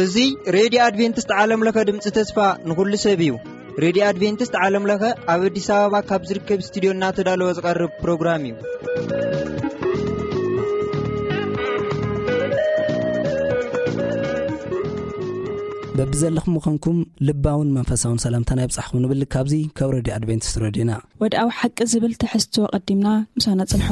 እዚ ሬድዮ ኣድቬንቲስት ዓለም ለኸ ድምፂ ተስፋ ንኹሉ ሰብ እዩ። ሬድዮ ኣድቬንቲስት ዓለም ለኸ ኣብ ኣዲስ ኣበባ ካብ ዝርከብ ስቱዲዮ እናተዳለወ ዝቐርብ ፕሮግራም እዩ። በብዘለኹም ምዃንኩም ልባውን መንፈሳውን ሰላምታና ይብጻሕኩም ንብል ካብዚ ካብ ሬድዮ ኣድቬንቲስት ሬድዮና። ወድኣዊ ሓቂ ዝብል ትሕዝቶ ቀዲምና ምሳና ጽንሑ።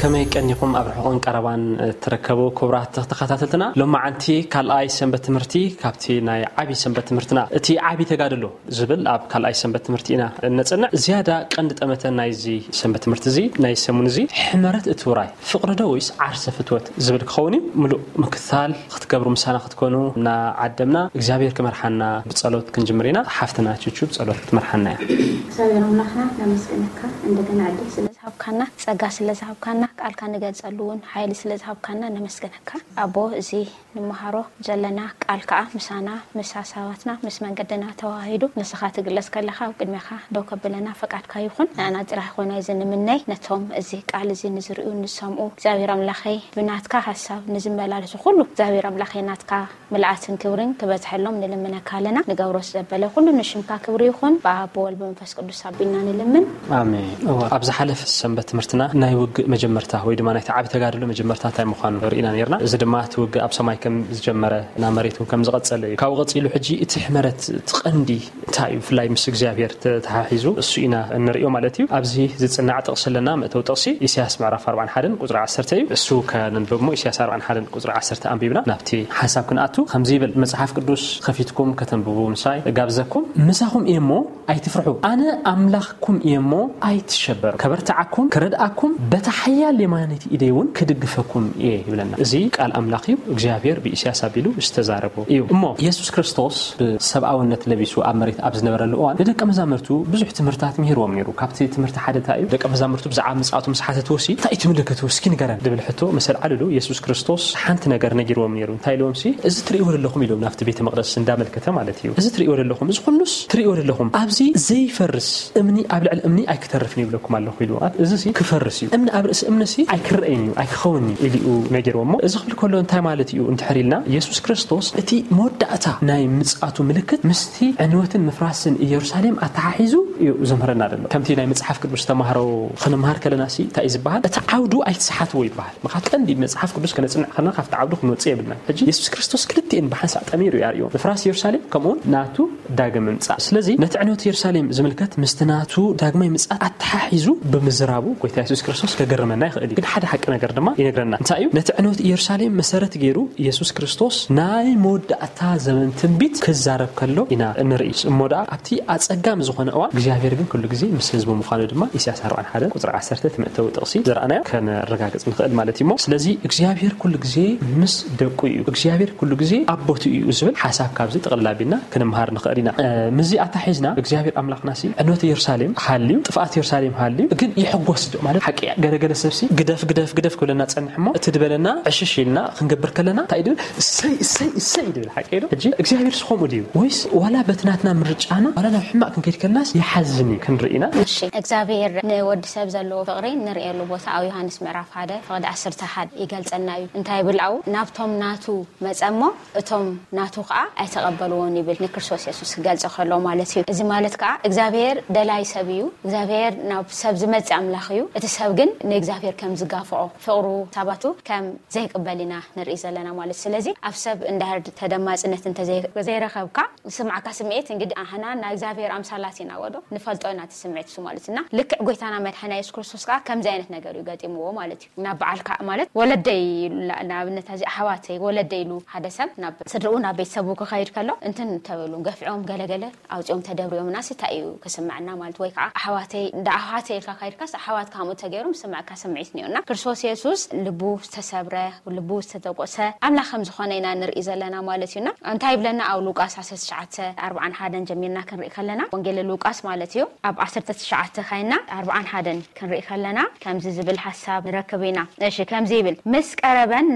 ከመይ ቀኒኹም ኣብ ርሑቕን ቀረባን እትርከቡ ክቡራት ተኸታተልትና? ሎማዓንቲ ካልኣይ ሰንበት ትምህርቲ ካብቲ ናይ ዓቢ ሰንበት ትምህርትና፣ እቲ ዓቢ ተጋድሎ ዝብል ኣብ ካልኣይ ሰንበት ትምህርቲ ኢና እነጽንዕ። ዝያዳ ቀንዲ ጠመተ ናይዚ ሰንበት ትምህርቲ እዚ፣ ናይ ሰሙን እዚ፣ ሕመረት እቲ ውራይ፣ ፍቕሪ ዶ ወይስ ዓርሰ ፍትወት ዝብል ክኸውን እዩ። ምሉእ ምክትታል ክትገብሩ ምሳና ክትኮኑ እናዓደምና፣ እግዚኣብሔር ክመርሓና ብጸሎት ክንጅምር ኢና። ሓፍትና ቹቹ ብጸሎት ክትመርሓና እያ። እግዚኣብሔር ኣምላኽና ነመስግነካ፣ እንደገና ዕድል ስለ ዝሃብካና፣ ጸጋ ስለ ዝሃብካና፣ ቃልካ ንገልጸሉ እውን ሓይሊ ስለ ዝሃብካና ነመስግነካ። ኣቦ፣ እዚ ንመሃሮ ዘለና ቃል ከኣ ምሳና፣ ምስ ሓሳባትና፣ ምስ መንገድና ተዋሂዱ ንስኻ ትግለጽ ከለኻ፣ ኣብ ቅድሜኻ ደው ከብለና ፈቃድካ ይኹን። ንኣና ጥራሕ ይኾን እዚ ንምነይ፣ ነቶም እዚ ቃል እዚ ንዝርእዩ ንዝሰምኡ፣ እግዚኣብሔር ኣምላኸይ፣ ብናትካ ሓሳብ ንዝመላለሱ ኩሉ፣ እግዚኣብሔር ኣምላኸይ፣ ናትካ ምልኣትን ክብርን ክበዝሐሎም ንልምነካ ኣለና። ንገብሮ ዘበለ ኩሉ ንሽምካ ክብሪ ይኹን። ብኣብ ብወልድ ብመንፈስ ቅዱስ ኣቢልና ንልምን። ኣሜን። እወ፣ ኣብ ዝሓለፈ ሰንበት ትምህርትና ናይ ውግእ መጀመርታ ወይ ድማ ናይቲ ዓቢ ተጋድሎ መጀመርታ እንታይ ምዃኑ ርኢና ነርና። እዚ ድማ እቲ ውግእ ኣብ ሰማይ ከም ዝጀመረ ናብ መሬት እውን ከም ዝቐጸለ እዩ። ካብኡ ቀጺሉ ሕጂ እቲ ሕመረት፣ እቲ ቀንዲ እንታይ እዩ? ብፍላይ ምስ እግዚኣብሔር ተተሓሒዙ እሱ ኢና እንርእዮ ማለት እዩ። ኣብዚ ዝጽናዕ ጥቕሲ ኣለና። መእተዊ ጥቕሲ ኢሳያስ ምዕራፍ ኣርባዓን ሓደን ቁጽሪ ዓሰርተ እዩ። እሱ ከነንብብ እሞ ኢሳያስ ኣርባዓን ሓደን ቁጽሪ ዓሰርተ ኣንቢብና ናብቲ ሓሳብ ክንኣቱ። ከምዚ ይብል መጽሓፍ ቅዱስ ከፊትኩም ከተንብቡ ምሳይ እጋብዘኩም። ምሳኹም እየ እሞ ኣይትፍርሑ፣ ኣነ ኣምላኽኩም እየ እሞ ኣይትሸበሩ። ከበርትዓኩም፣ ክረድኣኩም፣ በታ ሓያል የማነይቲ ኢደይ እውን ክድግፈኩም እየ ይብለና። እዚ ቃል ኣምላኽ እዩ። እግዚኣብሔር ብኢሳያስ ኣቢሉ ዝተዛረቦ እዩ። እሞ የሱስ ክርስቶስ ብሰብኣውነት ለቢሱ ኣብ መሬት ኣብ ዝነበረሉ እዋን ንደቀ መዛሙርቱ ብዙሕ ትምህርታት ምሂርዎም ነይሩ። ካብቲ ትምህርቲ ሓደ እንታይ እዩ? ደቀ መዛሙርቱ ብዛዕባ ምጽኣቱ ምስ ሓተትዎ ሲ፣ "እንታይ እዩ እቲ ምልክቱ? እስኪ ንገረን" ዝብል ሕቶ ምስ ኣልዓልሉ፣ የሱስ ክርስቶስ ሓንቲ ነገር ነጊርዎም ነይሩ። እንታይ ኢልዎም ሲ፣ "እዚ ትርእይዎ ዘለኹም" ኢሎም ናብቲ ቤተ መቕደስ እንዳመልከተ ማለት እዩ። "እዚ ትርእይዎ ዘለኹም፣ እዚ ኩሉስ ትርእይዎ ዘለኹም፣ ኣብዚ ዘይፈርስ እምኒ ኣብ ልዕሊ እምኒ ኣይክተርፍን ይብለኩም ኣለኹ" ኢሉ። እዚሲ ክፈርስ እዩ። እምኒ ኣብ ርእሲ እምኒሲ ኣይክረኣይን እዩ፣ ኣይክኸውን እዩ ኢሉ እዩ ነጊርዎ። እሞ እዚ ክብል ከሎ እንታይ ማለት እዩ እንድሕር ኢልና፣ የሱስ ክርስቶስ እቲ መወዳእታ ናይ ምጽኣቱ ምልክት ምስቲ ዕንወትን ምፍራስን ኢየሩሳሌም ኣተሓሒዙ እዩ ዘምህረና ዘሎ። ከምቲ ናይ መጽሓፍ ቅዱስ ተማሃሮ ክንምሃር ከለና ሲ እንታይ እዩ ዝበሃል? እቲ ዓውዱ ኣይትስሓትዎ ይበሃል። ምኽንያቱ ቀንዲ መጽሓፍ ቅዱስ ከነጽንዕ ከለና ካብቲ ዓውዱ ክንወጽእ የብልናን። ሕጂ የሱስ ክርስቶስ ክልቲኤን ብሓንሳእ ጠሚሩ እዩ ኣርእዮ። ምፍራስ ኢየሩሳሌም ከምኡውን ናቱ ዳግም ምምጻእ። ስለዚ ነቲ ዕንወት ኢየሩሳሌም ዝምልከት ምስቲ ናቱ ዳግማይ ምጽኣት ኣተሓሒዙ ብምዝራቡ ጎይታ የሱስ ክርስቶስ ከገርመና ይኽእል እዩ። ግን ሓደ ሓቂ ነገር ድማ ይነግረና። እንታይ እዩ? ነቲ ዕንወት ኢየሩሳሌም መሰረት ገይሩ የሱስ ክርስቶስ ናይ መወዳእታ ዘመን ትንቢት ክዛረብ ከሎ ኢና እንርኢ። እሞ ደኣ ኣብቲ ኣጸጋሚ ዝኾነ እዋን እግዚኣብሔር ግን ኩሉ ግዜ ምስ ህዝቡ ምዃኑ ድማ ኢሳያስ ኣርባዓን ሓደን ቁጽሪ ዓሰርተ እቲ መእተዊ ጥቕሲ ዝረኣናዮ ከነረጋግጽ ንኽእል ማለት እዩ። እሞ ስለዚ እግዚኣብሔር ኩሉ ግዜ ምስ ደቁ እዩ፣ እግዚኣብሔር ኩሉ ግዜ ኣብ ቦትኡ እዩ ዝብል ሓሳብ ካብዚ ጥቕልል ኣቢልና ክንምሃር ንኽእል ኢና። እ፣ ምስዚ ኣታሒዝና እግዚኣብሔር ኣምላኽና ሲ ዕንወት ኢየሩሳሌም ሃልዩ፣ ጥፍኣት ኢየሩሳሌም ሃልዩ፣ ግን ይሕጎስ ዶ ማለት ሓቂ እያ። ገለገለ ሰብ ሲ ግደፍ፣ ግደፍ፣ ግደፍ ክብለና ጸንሕ እሞ፣ እቲ ድበለና ዕሽሽ ኢልና ክንገብር ከለና እንታይ ድብል? እሰይ፣ እሰይ፣ እሰይ ድብል ሓቂ ዶ? ሕጂ እግዚኣብሔር ሲ ከምኡ ድዩ? ወይስ ዋላ በቲ ናትና ምርጫና ዋላ ናብ ሕማቕ ክንከይድ ከለናስ ይሓዝን እዩ ክንርኢ ኢና። እሺ፣ እግዚኣብሔር ንወዲ ሰብ ዘለዎ ፍቕሪ ንርእየሉ ቦታ ኣብ ዮሃንስ ምዕራፍ ሓደ ፍቕዲ ዓሰርተ ሓደ ይገልጸልና እዩ። እንታይ ይብል ኣብኡ? "ናብቶም ናቱ መጸ እሞ እቶም ናቱ ኸኣ ኣይተቐበልዎን" ይብል፣ ንክርስቶስ የሱስ ክገልጾ ከሎ ማለት እዩ። እዚ ማለት ከኣ እግዚኣብሔር ደላይ ሰብ እዩ። እግዚኣብሔር ናብ ሰብ ዝመጽእ ኣምላኽ እዩ። እቲ ሰብ ግን ንእግዚኣብሔር ከም ዝጋፍዖ፣ ፍቕሩ ሳባቱ ከም ዘይቅበል ኢና ንርኢ ዘለና ማለት። ስለዚ ኣብ ሰብ እንድሕር ተደማጽነት እንተ ዘይ-፣ ዘይረኸብካ፣ ዝስምዓካ ስምዒት እንግዲህ ኣሕና ናይ እግዚኣብሔር ኣምሳላት ኢና ወዶ ንፈልጦ ኢና እቲ ስምዒት እሱ ማለት እና ልክዕ ጎይታና መድሓና የሱስ ክርስቶስ ከኣ ከምዚ ዓይነት ነገር እዩ ገጢምዎ ማለት እዩ። ናብ በዓልካ ማለት ወለደይ ኢሉ ላ-፣ ንኣብነት ኣዚ ኣሕዋተይ ወለደይ ኢሉ ሓደ ሰብ ናብ ስድርኡ ናብ ቤተሰቡ ክኸይድ ከሎ እንትን ተበሉ ገፊዖም ገለገለ ኣውጺኦም ተደብሪዮም ናስ እንታይ እዩ ክስምዐና ማለት ወይ ከዓ ኣሕዋተይ እንዳ ኣሕዋተይ ኢልካ ካይድ ካስ ኣሕዋት ከምኡ ተገይሮም ስምዕካ ስምዒት እኒኦና። ክርስቶስ የሱስ ልቡ ዝተሰብረ፣ ልቡ ዝተተቆሰ ኣምላኽ ከም ዝኾነ ኢና ንርኢ ዘለና ማለት እዩና። እንታይ ይብለና ኣብ ሉቃስ ዓሰርተ ትሽዓተ ኣርብዓን ሓደን ጀሚርና ክንርኢ ከለና፣ ወንጌል ሉቃስ ማለት እዩ። ኣብ ዓሰርተ ትሽዓተ ካይና ኣርብዓን ሓደን ክንርኢ ከለና ከምዚ ዝብል ሓሳብ ንረክብ ኢና። እሺ፣ ከምዚ ይብል፣ ምስ ቀረበን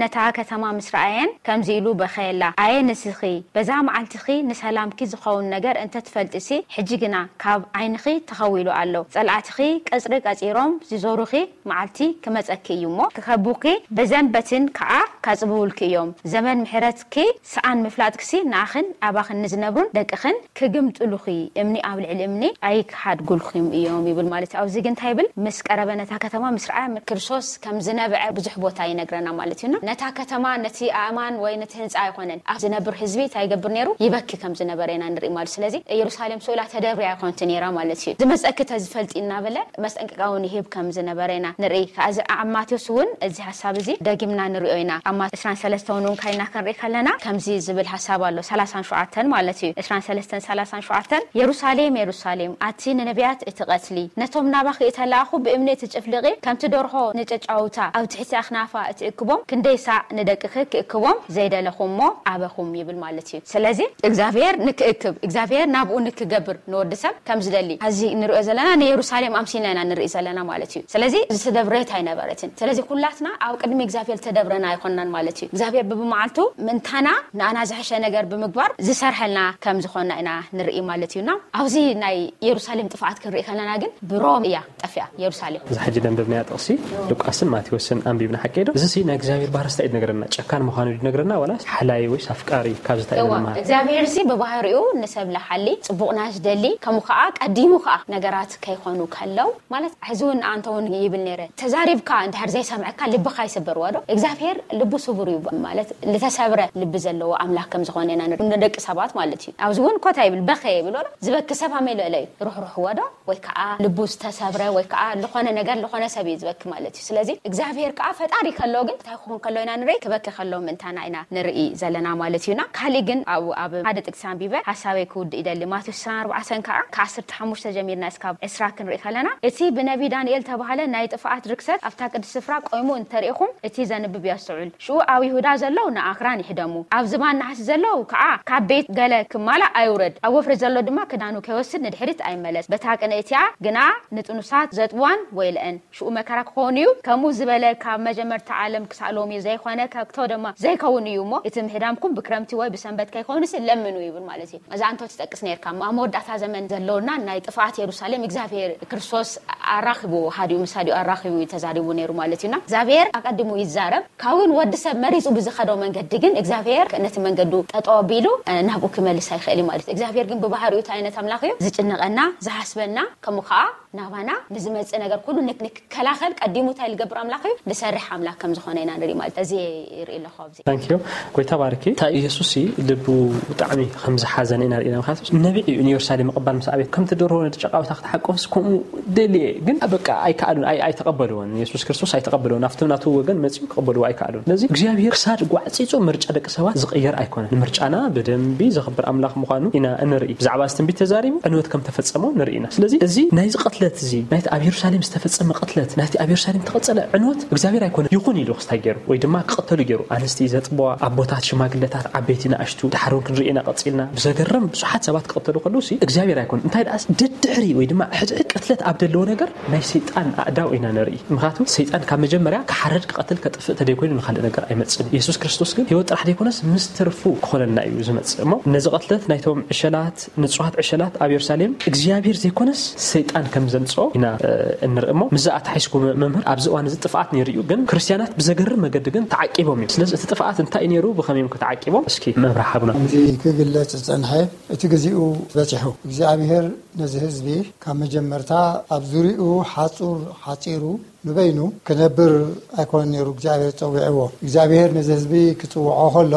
ነታ ከተማ ምስ ረኣየን ከምዚ ኢሉ በኸየላ፣ ኣየ ንስኺ በዛ መዓልትኺ ንሰላምኪ ዝኸውን ነገር እንተትፈልጥሲ፣ ሕጂ ግና ካብ ዓይንኺ ተኸዊሉ ኣሎ። ጸላእትኺ ቀጽሪ ቀጺሮም ዝዞሩኺ መዓልቲ ክመጸኪ እዩ እሞ፣ ክኸቡኪ ብዘንበትን ከኣ ካጽብውልኪ እዮም። ዘመን ምሕረትኪ ሰኣን ምፍላጥክሲ ንኣኽን ኣባኽን ንዝነብሩን ደቅኽን ክግምጥሉኺ፣ እምኒ ኣብ ልዕሊ እምኒ ኣይክሓድጉልኩም እዮም ይብል ማለት እዩ። ኣብዚ ግን እንታይ ይብል? ምስ ቀረበ ነታ ከተማ ምስ ረኣየ ክርስቶስ ከም ዝነብዐ ብዙሕ ቦታ ይነግረና ማለት እዩና። ነታ ከተማ፣ ነቲ ኣእማን ወይ ነቲ ህንፃ ኣይኮነን፣ ኣብ ዝነብር ህዝቢ እንታይ ይገብር ነይሩ? ይበኪ ከም ዝነበረ ኢና ንርኢ ማለት። ስለዚ ኢየሩሳሌም ስኡላ ተደብርያ ኣይኮነትን ነይራ ማለት እዩ። ዝመፀኪ ተዝፈልጢ እናበለ መስጠንቀቂያ እውን ይህብ ከም ዝነበረ ኢና ንርኢ። ከዚ ኣብ ማቴዎስ እውን እዚ ሓሳብ እዚ ደጊምና ንሪኦ ኢና። ኣብ ማቴዎስ ዕስራን ሰለስተን እውን ካይና ክንርኢ ከለና ከምዚ ዝብል ሓሳብ ኣሎ። ሰላሳን ሸውዓተን ማለት እዩ። ዕስራን ሰለስተን ሰላሳን ሸውዓተን፣ የሩሳሌም፣ የሩሳሌም፣ ኣቲ ንነቢያት እትቐትሊ፣ ነቶም ናባኺ እተላእኹ ብእምኒ እትጭፍልቒ፣ ከምቲ ደርሆ ንጨጫውታ ኣብ ትሕቲ ኣኽናፋ እትእክቦም፣ ክንደይ ሳዕ ንደቅኺ ክእክቦም ዘይደለኹ እሞ ኣበኹም ይብል ማለት እዩ። ስለዚ እግዚኣብሔር ንክእክብ፣ እግዚኣብሔር ናብኡ ንክገብር ንወዲ ሰብ ከም ዝደሊ፣ እዚ ንሪኦ ዘለና ንየሩሳሌም ኣምሲልና ኢና ንርኢ ዘለና ማለት እዩ። ስለዚ ዝተደብረት ኣይነበረትን። ስለዚ ኩላትና ኣብ ቅድሚ እግዚኣብሔር ዝተደብረና ኣይኮንናን ማለት እዩ። እግዚኣብሔር ብብመዓልቱ ምእንታና ንኣና ዝሐሸ ነገር ብምግባር ዝሰርሐልና ከም ዝኾንና ኢና ንርኢ ማለት እዩና። ኣብዚ ናይ የሩሳሌም ጥፍኣት ክንርኢ ከለና ግን ብሮም እያ ጠፊኣ የሩሳሌም። እዚ ሕጂ ደንበብናያ ጥቕሲ ሉቃስን ማቴዎስን ኣንቢብና ሓቂ ዶ? እዚ ሲ ናይ እግዚኣብሔር ባህሪ ስታይ ዝነግረና? ጨካን ምዃኑ ዝነግረና ዋላስ ሓላይ ወይስ ኣፍቃሪ? ካብዚ እንታይ ኢና እዋ፣ ንመሃር? እግዚኣብሔር ሲ ብባህሪኡ ንሰብ ለሓሊ፣ ጽቡቕና ዝደሊ፣ ከምኡ ከኣ ቀዲሙ ከኣ ነገራት ከይኾኑ ከለው፣ ማለት ሕዚ እውን ኣንተ እውን ይብል ነይረ፣ ተዛሪብካ እንድሕር ዘይሰምዐካ ልብኻ ይስበር ወዶ? እግዚኣብሔር ልቡ ስቡር እዩ፣ ማለት ዝተሰብረ ልቢ ዘለዎ ኣምላኽ ከም ዝኾነ ኢና ንርኢ፣ ንደቂ ሰባት ማለት እዩ። ኣብዚ እውን ኮታ ይብል፣ በኸ ይብል ወዶ? ዝበኪ ሰብ ኣመይ ልዕለ እዩ፣ ሩሕሩሕ ወዶ? ወይ ከዓ ልቡ ዝተሰብረ ወይ ከዓ ዝኾነ ነገር ዝኾነ ሰብ እዩ ዝበኪ ማለት እዩ። ስለዚ እግዚኣብሔር ከዓ ፈጣሪ ከሎ ግን እንታይ ክኾን ከሎ ኢና ንርኢ? ክበኪ ከሎ ምእንታና ኢና ንርኢ ዘለና ማለት እዩና። ካሊእ ግን ኣብኡ ኣብ ሓደ ጥቅሲ ኣንቢበ ሓሳበይ ክውድእ ይደሊ። ማቴዎስ ዕስራን ኣርባዕተን ከዓ ከዓሰርተ ሓሙሽተ ጀሚርና እስካብ ዕስራ ክንርኢ ከለና፣ እቲ ብነቢ ዳንኤል ተባህለ ናይ ጥፍኣት ርክሰት ኣብታ ቅድስቲ ስፍራ ቆይሙ እንተሪኢኹም እቲ ዘንብብ የስተውዕል። ሽኡ ኣብ ይሁዳ ዘለዉ ንኣኽራን ይሕደሙ፣ ኣብ ዝባን ናሕሲ ዘለዉ ከዓ ካብ ቤት ገለ ክማላእ ኣይውረድ፣ ኣብ ወፍሪ ዘሎ ድማ ክዳኑ ከይወስድ ንድሕሪት ኣይመለስ። በታ ቅነ እቲኣ ግና ንጥኑሳት ዘጥዋን ወይልአን። ሽኡ መከራ ክኸውን እዩ። ከምኡ ዝበለ ካብ መጀመርታ ዓለም ክሳእ ሎሚ ዘይኮነ፣ ከቶ ድማ ዘይከውን እዩ እሞ፣ እቲ ምህዳምኩም ብክረምቲ ወይ ብሰንበት ከይኮንስ ለምኑ ይብል ማለት እዩ። እዛ እንቶ ትጠቅስ ነርካ፣ ኣብ መወዳእታ ዘመን ዘለውና ናይ ጥፍኣት የሩሳሌም እግዚኣብሔር ክርስቶስ ኣራኺቡ፣ ሃዲኡ ምስ ሃዲኡ ኣራኺቡ እዩ ተዛሪቡ ነይሩ ማለት እዩና። እግዚኣብሔር ኣቀዲሙ ይዛረብ። ካብን ወዲ ሰብ መሪጹ ብዝኸዶ መንገዲ ግን እግዚኣብሔር ነቲ መንገዱ ጠጠው ኣቢሉ፣ እ፣ ናብኡ ክመልስ ኣይኽእል እዩ ማለት እዩ። እግዚኣብሔር ግን ብባህሪኡ እንታይ ዓይነት ኣምላኽ እዩ? ዝጭነቐና፣ ዝሓስበና፣ ከምኡ ከዓ ናባና ንዝመጽእ ነገር ኩሉ ንክ-፣ ንክከላኸል ቀዲሙ እንታይ ዝገብር ኣምላኽ እዩ? ዝሰርሕ ኣምላኽ ከም ዝኾነ ኢና ንርኢ ማለት እዩ። እዚ ይርኢ ኣለኹ ኣብዚ። ታንኪዩ። ጎይታ ባርኪ። እታ ኢየሱስ ሲ ልቡ ብጣዕሚ ከም ዝሓዘነ ኢና ርኢና። ምክንያቱ ነቢዕ እዩ ንየሩሳሌም ምቕባል ምስ ኣቤት ከምቲ ደርሆ ነቲ ጨቃውታ ክትሓቆፍስ ከምኡ ደልየ፣ ግን በቃ ኣይከኣሉን፣ ኣይ-፣ ኣይተቐበልዎን። የሱስ ክርስቶስ ኣይተቐበልዎን። ኣብቲ ናቱ ወገን መጺኡ ክቐበልዎ ኣይከኣሉን። ስለዚ እግዚኣብሔር ክሳድ ጓዕጺጹ ምርጫ ደቂ ሰባት ዝቕየር ኣይኮነን። ንምርጫና ብደንቢ ዘኽብር ኣምላኽ ምዃኑ ኢና እንርኢ። ብዛዕባ እዚ ትንቢት ተዛሪቡ ዕንወት ከም ተፈጸሞ ንርኢ ኢና። ስለዚ እዚ ናይዚ ቅትለት እዚ፣ ናይቲ ኣብ የሩሳሌም ዝተፈጸመ ቅትለት፣ ናይቲ ኣብ የሩሳሌም ተቐጸለ ዕንወት እግዚኣብሔር ኣይኮነን ይኹን ኢሉ ክስታይ ገይሩ ወይ ድማ ክቕተሉ ገይሩ። ኣንስቲ ዘጥበዋ፣ ኣቦታት፣ ሽማግለታት፣ ዓበይቲ፣ ንኣሽቱ፣ ድሓር እውን ክንርኢ ኢና ቀጺልና። ብዘገርም ብዙሓት ሰባት ክቕተሉ ከለዉ ሲ እግዚኣብሔር ኣይኮነን። እንታይ ደኣስ ደድሕሪ ወይ ድማ ሕድሕድ ቅትለት ኣብ ደለዎ ነገር ናይ ሰይጣን ኣእዳው ኢና ንርኢ። ምኽንያቱ ሰይጣን ካብ መጀመርያ ክሓርድ፣ ክቐትል፣ ከጥፍእ ተደይኮይኑ ንኻልእ ነገር ኣይመጽእን እዩ። የሱስ ክርስቶስ ግን ህይወት ጥራሕ ደይኮነስ ምስ ትርፉ ክኾነልና እዩ ዝመጽእ። እሞ ነዚ ቅትለት ናይቶም ዕሸላት፣ ንጹሃት ዕሸላት ኣብ የሩሳሌም እግዚኣብሔር ዘይኮነስ ሰይጣን ከም ዘምጽኦ ኢና፣ እ፣ እንርኢ። እሞ ምስዚ ኣተሓሒዝኩ መ-፣ መምህር፣ ኣብዚ እዋን እዚ ጥፍኣት ነይሩ እዩ፣ ግን ክርስትያናት ብዘገርም መገዲ ግን ተዓቂቦም እዮም። ስለዚ እቲ ጥፍኣት እንታይ እዩ ነይሩ? ብኸመይ እዮም ከተዓቂቦም? እስኪ መብርሂ ሃቡና። ከምዚ ክግለጽ ዝጸንሐ እቲ ግዜኡ በጺሑ። እግዚኣብሔር ነዚ ህዝቢ ካብ መጀመርታ ኣብ ዙሪኡ ሓጹር ሓጺሩ ንበይኑ ክነብር ኣይኮነን ነይሩ እግዚኣብሔር ጸዊዕዎ። እግዚኣብሔር ነዚ ህዝቢ ክጽውዖ ከሎ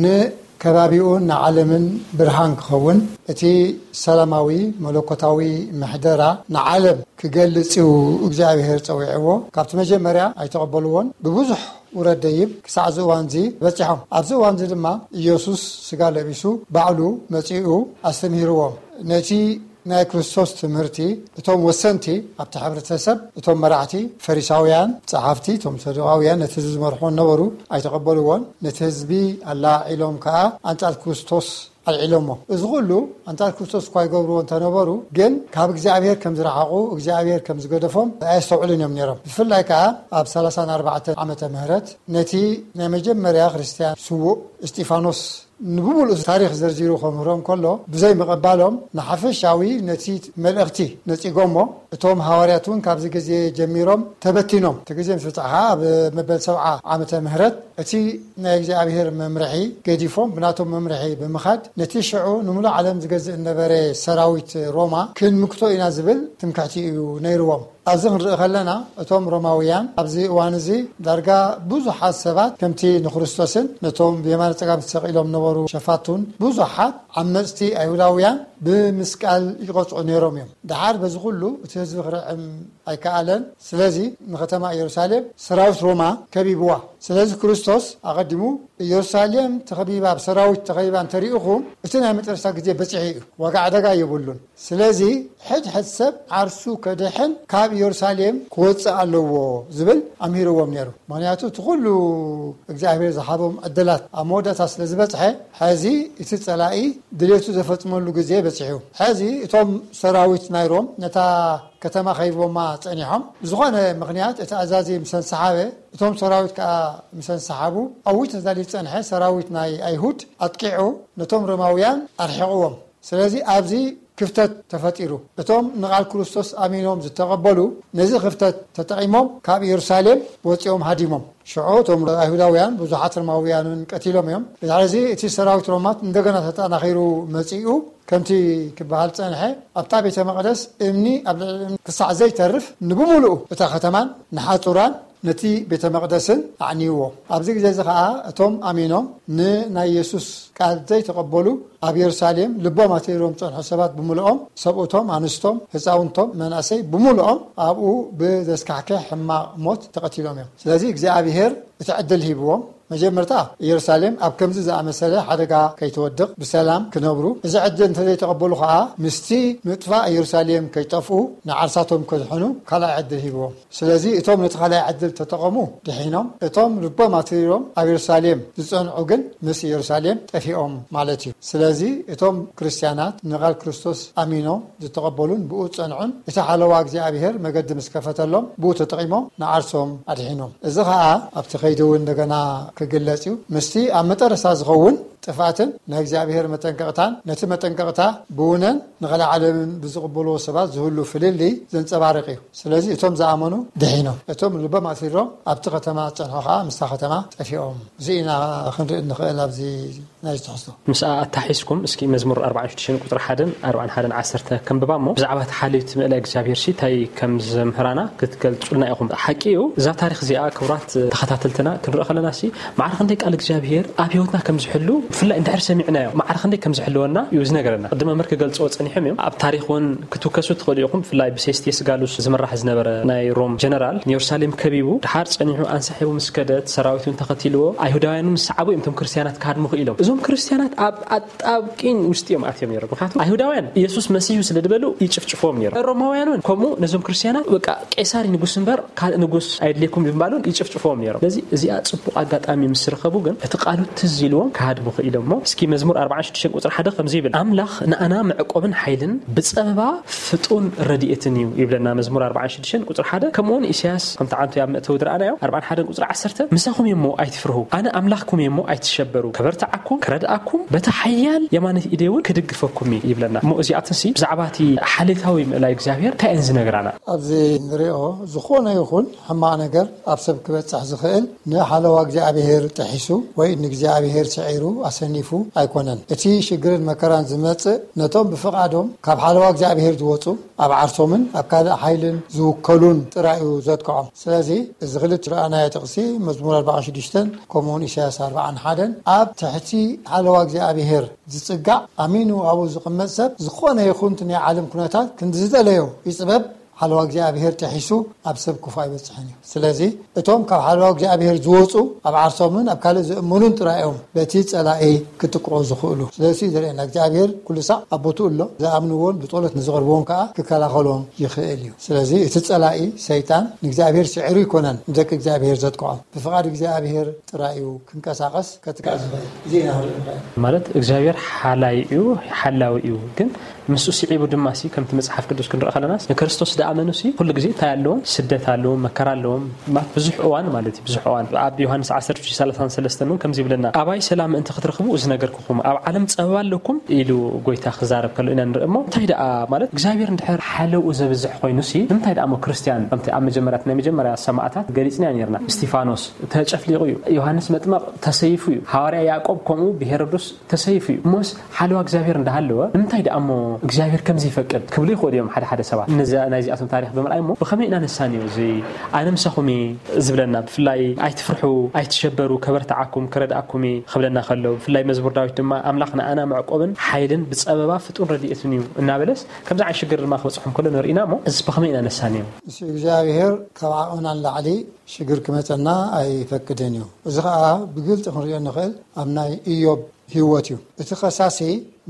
ንከባቢኡን ንዓለምን ብርሃን ክኸውን፣ እቲ ሰላማዊ መለኮታዊ ምሕደራ ንዓለም ክገልጽ እዩ እግዚኣብሔር ጸዊዕዎ። ካብቲ መጀመርያ ኣይተቐበልዎን። ብብዙሕ ውረድ ደይብ ክሳዕ እዚ እዋን እዚ በጺሖም። ኣብዚ እዋን እዚ ድማ ኢየሱስ ስጋ ለቢሱ ባዕሉ መጺኡ ኣስተምሂርዎም። ነቲ ናይ ክርስቶስ ትምህርቲ እቶም ወሰንቲ ኣብቲ ሕብረተሰብ፣ እቶም መራሕቲ፣ ፈሪሳውያን፣ ጸሓፍቲ፣ እቶም ሰዱቃውያን ነቲ ህዝቢ ዝመርሕዎ ነበሩ፣ ኣይተቐበልዎን። ነቲ ህዝቢ ኣላዒሎም ከኣ ኣንጻር ክርስቶስ ኣልዒሎሞ። እዚ ኩሉ ኣንጻር ክርስቶስ እኳ ይገብርዎ እንተነበሩ፣ ግን ካብ እግዚኣብሔር ከም ዝረሓቑ፣ እግዚኣብሔር ከም ዝገደፎም ኣየስተውዕሉን እዮም ነይሮም። ብፍላይ ከኣ ኣብ ሰላሳን ኣርባዕተን ዓመተ ምህረት ነቲ ናይ መጀመርያ ክርስትያን ስዉእ እስጢፋኖስ ንብምሉኡ ታሪኽ ዘርዚሩ ከምህሮም ከሎ፣ ብዘይ ምቕባሎም ንሓፈሻዊ ነቲ መልእኽቲ ነጺጎሞ። እቶም ሃዋርያት እውን ካብዚ ግዜ ጀሚሮም ተበቲኖም። እቲ ግዜ ምስ በጽሐ ኣብ መበል ሰብዓ ዓመተ ምህረት እቲ ናይ እግዚኣብሔር መምርሒ ገዲፎም ብናቶም መምርሒ ብምኻድ ነቲ ሽዑ ንምሉእ ዓለም ዝገዝእ እነበረ ሰራዊት ሮማ ክንምክቶ ኢና ዝብል ትምክሕቲ እዩ ነይርዎም። ኣብዚ ክንርኢ ከለና እቶም ሮማውያን ኣብዚ እዋን እዚ ዳርጋ ብዙሓት ሰባት ከምቲ ንክርስቶስን ነቶም ብየማነ ጸጋም ተሰቒሎም ነበሩ ሸፋቱን ብዙሓት ዓመጽቲ ኣይሁዳውያን ብምስቃል ይቐጽዑ ነይሮም እዮም። ደሓር በዚ ኩሉ እቲ ህዝቢ ክርዕም ኣይከኣለን። ስለዚ ንከተማ ኢየሩሳሌም ሰራዊት ሮማ ከቢብዋ። ስለዚ ክርስቶስ ኣቐዲሙ ኢየሩሳሌም ተኸቢባ ብሰራዊት ተኸቢባ እንተሪእኹም እቲ ናይ መጨረሻ ግዜ በጺሑ እዩ። ዋጋ ዕደጋ የብሉን። ስለዚ ሕድ ሕድ ሰብ ዓርሱ ከድሕን ካብ ኢየሩሳሌም ክወጽእ ኣለዎ ዝብል ኣምሂርዎም ነይሩ። ምኽንያቱ እቲ ኩሉ እግዚኣብሔር ዝሃቦም ዕድላት ኣብ መወዳእታ ስለ ዝበጽሐ፣ ሕዚ እቲ ጸላኢ ድሌቱ ዘፈጽመሉ ግዜ በጺሑ። ሕዚ እቶም ሰራዊት ናይ ሮም ነታ ከተማ ከይቦማ ጸኒሖም። ብዝኾነ ምኽንያት እቲ ኣዛዚ ምስ ኣንሰሓበ፣ እቶም ሰራዊት ከኣ ምስ ኣንሰሓቡ፣ ኣዊት ተዳልዩ ዝጸንሐ ሰራዊት ናይ ኣይሁድ ኣጥቂዑ ነቶም ሮማውያን ኣርሒቕዎም። ስለዚ ኣብዚ ክፍተት ተፈጢሩ። እቶም ንቓል ክርስቶስ ኣሚኖም ዝተቐበሉ ነዚ ክፍተት ተጠቒሞም ካብ ኢየሩሳሌም ወጺኦም ሃዲሞም። ሽዑ እቶም ኣይሁዳውያን ብዙሓት ሮማውያንን ቀቲሎም እዮም። ድሕሪ እዚ እቲ ሰራዊት ሮማት እንደገና ተጠናኺሩ መጺኡ። ከምቲ ክበሃል ጸንሐ ኣብታ ቤተ መቕደስ እምኒ ኣብ ልዕሊ እምኒ ክሳዕ ዘይተርፍ ንብምሉኡ እታ ከተማን ንሓጹራን ነቲ ቤተ መቕደስን ኣዕንይዎ። ኣብዚ ግዜ እዚ ኸኣ እቶም ኣሚኖም ንናይ የሱስ ቃል ዘይተቐበሉ ኣብ የሩሳሌም ልቦም ኣትሪሮም ዝጸንሑ ሰባት ብምልኦም፣ ሰብኡቶም፣ ኣንስቶም፣ ህጻውንቶም፣ መናእሰይ ብምልኦም ኣብኡ ብዘስካሕክሕ ሕማቕ ሞት ተቐቲሎም እዮም። ስለዚ እግዚኣብሔር እቲ ዕድል ሂብዎም። መጀመርታ ኢየሩሳሌም ኣብ ከምዚ ዝኣመሰለ ሓደጋ ከይትወድቕ ብሰላም ክነብሩ፣ እዚ ዕድል እንተዘይተቐበሉ ኸኣ ምስቲ ምጥፋእ ኢየሩሳሌም ከይጠፍኡ ንዓርሳቶም ከድሕኑ ካልኣይ ዕድል ሂብዎም። ስለዚ እቶም ነቲ ካልኣይ ዕድል ተጠቐሙ ድሒኖም፣ እቶም ልቦም ኣትሪሮም ኣብ ኢየሩሳሌም ዝጸንዑ ግን ምስ ኢየሩሳሌም ጠፊኦም ማለት እዩ። ስለዚ እቶም ክርስትያናት ንቓል ክርስቶስ ኣሚኖም ዝተቐበሉን ብኡ ዝጸንዑን እቲ ሓለዋ እግዚኣብሔር መገዲ ምስ ከፈተሎም ብኡ ተጠቒሞም ንዓርሶም ኣድሒኖም። እዚ ኸኣ ኣብቲ ከይዲ እውን እንደገና ክግለጽ እዩ። ምስቲ ኣብ መጠረስታ ዝኸውን ጥፍኣትን ናይ እግዚኣብሔር መጠንቀቕታን ነቲ መጠንቀቕታ ብውነን ንኸልእ ዓለምን ብዝቕበልዎ ሰባት ዝህሉ ፍልልይ ዘንጸባርቕ እዩ። ስለዚ እቶም ዝኣመኑ ድሒኖም፣ እቶም ልቦም ኣሲሮም ኣብቲ ከተማ ዝጸንሑ ኸኣ ምስታ ከተማ ጠፊኦም። እዚ ኢና ክንርኢ እንኽእል ኣብዚ ናይ ትሕዝቶ። ምስኣ ኣታሒዝኩም እስኪ መዝሙር ኣርባዓን ሽዱሽተን ቁጽሪ ሓደን ኣርባዓን ሓደን ዓሰርተ ከንብባ እሞ፣ ብዛዕባ እቲ ሓልዮት ምእላይ እግዚኣብሔር ሲ እንታይ ከም ዘምህራና ክትገልጹልና ኢኹም። ሓቂ እዩ፣ እዛ ታሪኽ እዚኣ ክቡራት ተኸታተልትና ክንርኢ ከለና ሲ ማዕረ ክንደይ ቃል እግዚኣብሔር ኣብ ህይወትና ከም ዝሕሉ ብፍላይ እንድሕር ሰሚዕናዮ ማዕረ ክንደይ ከም ዝሕልወና እዩ ዝነገረና። ቅድም መምህር ክገልጽዎ ጸኒሖም እዮም። ኣብ ታሪኽ እውን ክትውከሱ ትኽእሉ ኢኹም። ብፍላይ ብሴስቴስ ጋሉስ ዝምራሕ ዝነበረ ናይ ሮም ጀነራል ንየሩሳሌም ከቢቡ ድሓር ጸኒሑ ኣንሳሒቡ ምስ ከደት ሰራዊት እውን ተኸቲልዎ ኣይሁዳውያን እውን ዝሰዓቡ እዮም እቶም ክርስትያናት ክሃድሙ ክኢሎም። እዞም ክርስትያናት ኣብ ኣጣብቂኝ ውስጥ እዮም ኣትዮም ነይሮም። ምክንያቱ ኣይሁዳውያን ኢየሱስ መሲህ እዩ ስለ ዝበሉ ይጭፍጭፍዎም ነይሮም። ሮማውያን እውን ከምኡ ነዞም ክርስትያናት በቃ ቄሳር ንጉስ እምበር ካልእ ንጉስ ኣየድልየኩም ብምባሉን ይጭፍጭፍዎም ነይሮም። ስለዚ እዚኣ ጽቡቕ ኣጋጣሚ ምስ ረኸቡ ግን እቲ ቃሉ ትዝ ኢልዎም ክሃድሙ ክኢሎም እሞ እስኪ መዝሙር ኣርባዓን ሽዱሽተን ቁጽሪ ሓደ ከምዚ ይብል፣ ኣምላኽ ንኣና መዕቆብን ሓይልን ብጸበባ ፍጡን ረድኤትን እዩ ይብለና መዝሙር ኣርባዓን ሽዱሽተን ቁጽሪ ሓደ። ከምኡውን ኢሳያስ ከምቲ ዓንቱ ኣብ መእተዊ ዝረኣናዮ ኣርባዓን ሓደን ቁጽሪ ዓሰርተ፣ ምሳኹም እየ እሞ ኣይትፍርሁ፣ ኣነ ኣምላኽኩም እየ እሞ ኣይትሸበሩ፣ ከበርትዓኩም፣ ክረድኣኩም፣ በታ ሓያል የማነይት ኢደይ እውን ክድግፈኩም እየ ይብለና። እሞ እዚኣትንሲ ብዛዕባ እቲ ሓሌታዊ ምእላይ እግዚኣብሔር እንታይ እየን ዝነግራና? ኣብዚ ንሪኦ ዝኾነ ይኹን ሕማቕ ነገር ኣብ ሰብ ክበጽሕ ዝኽእል ንሓለዋ እግዚኣብሔር ጥሒሱ ወይ ንእግዚኣብሔር ስዒሩ ኣሰኒፉ ኣይኮነን። እቲ ሽግርን መከራን ዝመጽእ ነቶም ብፍቓዶም ካብ ሓለዋ እግዚኣብሔር ዝወጹ ኣብ ዓርሶምን ኣብ ካልእ ሓይልን ዝውከሉን ጥራይ እዩ ዘጥቅዖም። ስለዚ እዚ ክልተ ዝረኣናዮ ጥቕሲ መዝሙር ኣርባዓን ሽዱሽተን ከምኡውን ኢሳያስ ኣርባዓን ሓደን ኣብ ትሕቲ ሓለዋ እግዚኣብሔር ዝጽጋዕ ኣሚኑ ኣብኡ ዝቕመጥ ሰብ ዝኾነ ይኹን እቲ ናይ ዓለም ኩነታት ክንዲ ዝደለዮ ይጽበብ ሓለዋ እግዚኣብሔር ጥሒሱ ኣብ ሰብ ክፉእ ኣይበጽሕን እዩ። ስለዚ እቶም ካብ ሓለዋ እግዚኣብሔር ዝወጹ ኣብ ዓርሶምን ኣብ ካልእ ዝእምኑን ጥራይ እዮም በቲ ጸላኢ ክጥቅዑ ዝኽእሉ። ስለዚ ዘርእየና እግዚኣብሔር ኩሉ ሳዕ ኣብ ቦትኡ ኣሎ። ዝኣምንዎን ብጸሎት ንዝቐርብዎን ከኣ ክከላኸሎም ይኽእል እዩ። ስለዚ እቲ ጸላኢ ሰይጣን ንእግዚኣብሔር ስዒሩ ኣይኮነን ንደቂ እግዚኣብሔር ዘጥቅዖም። ብፍቓድ እግዚኣብሔር ጥራይ እዩ ክንቀሳቐስ ከጥቅዕ ዝኽእል። እዚ ኢና ንርኢ ንረኣይ። ማለት እግዚኣብሔር ሓላይ እዩ፣ ሓላዊ እዩ። ግን ምስኡ ስዒቡ ድማ ሲ ከምቲ መጽሓፍ ቅዱስ ክንርኢ ከለና ንክርስቶስ ዝኣመኑ ሲ ኩሉ ግዜ እንታይ ኣለዎም? ስደት ኣለዎም፣ መከራ ኣለዎም። ማት ብዙሕ እዋን ማለት እዩ፣ ብዙሕ እዋን ኣብ ዮሃንስ ዓሰርተ ሰላሳን ሰለስተን እውን ከምዚ ይብለና፣ ኣባይ ሰላም ምእንቲ ክትረኽቡ እዚ ነገርኩኹም፣ ኣብ ዓለም ጸበባ ኣለኩም ኢሉ ጎይታ ክዛረብ ከሎ ኢና ንርኢ። እሞ እንታይ ደኣ ማለት እግዚኣብሔር እንድሕር ሓለውኡ ዘብዝሕ ኮይኑ ሲ ንምንታይ ደኣ እሞ ክርስትያን ከምቲ ኣብ መጀመርያ ናይ መጀመርያ ሰማዕታት ገሊጽናዮ ነርና፣ እስቲፋኖስ ተጨፍሊቑ እዩ፣ ዮሃንስ መጥመቕ ተሰይፉ እዩ፣ ሃዋርያ ያዕቆብ ከምኡ ብሄሮዶስ ተሰይፉ እዩ። እሞስ ሓለዋ እግዚኣብሔር እንዳሃለወ ንምንታይ ደኣ እሞ እግዚኣብሔር ከምዚ ይፈቅድ ክብሉ ይኽእሉ እዮም ሓደ ሓደ ሰባት። ነዚ ናይዚኣቶም ታሪኽ ብምርኣይ እሞ ብኸመይ ኢና ነሳንዮ? እዚ ኣነ ምሳኹም እየ ዝብለና፣ ብፍላይ ኣይትፍርሑ፣ ኣይትሸበሩ፣ ከበርትዓኩም፣ ክረድኣኩም እየ ክብለና ከሎ፣ ብፍላይ መዝሙር ዳዊት ድማ ኣምላኽ ንኣና መዕቆብን ሓይልን ብጸበባ ፍጡን ረድኤትን እዩ እናበለስ ከምዚ ዓይነት ሽግር ድማ ክበጽሖም ከሎ ንርኢና እሞ እዚ ብኸመይ ኢና ነሳንዮ? ንሱ እግዚኣብሔር ካብ ዓቕምና ንላዕሊ ሽግር ክመጸና ኣይፈቅድን እዩ። እዚ ኸኣ ብግልጺ ክንሪኦ ንኽእል ኣብ ናይ ኢዮብ ህይወት እዩ። እቲ ኸሳሲ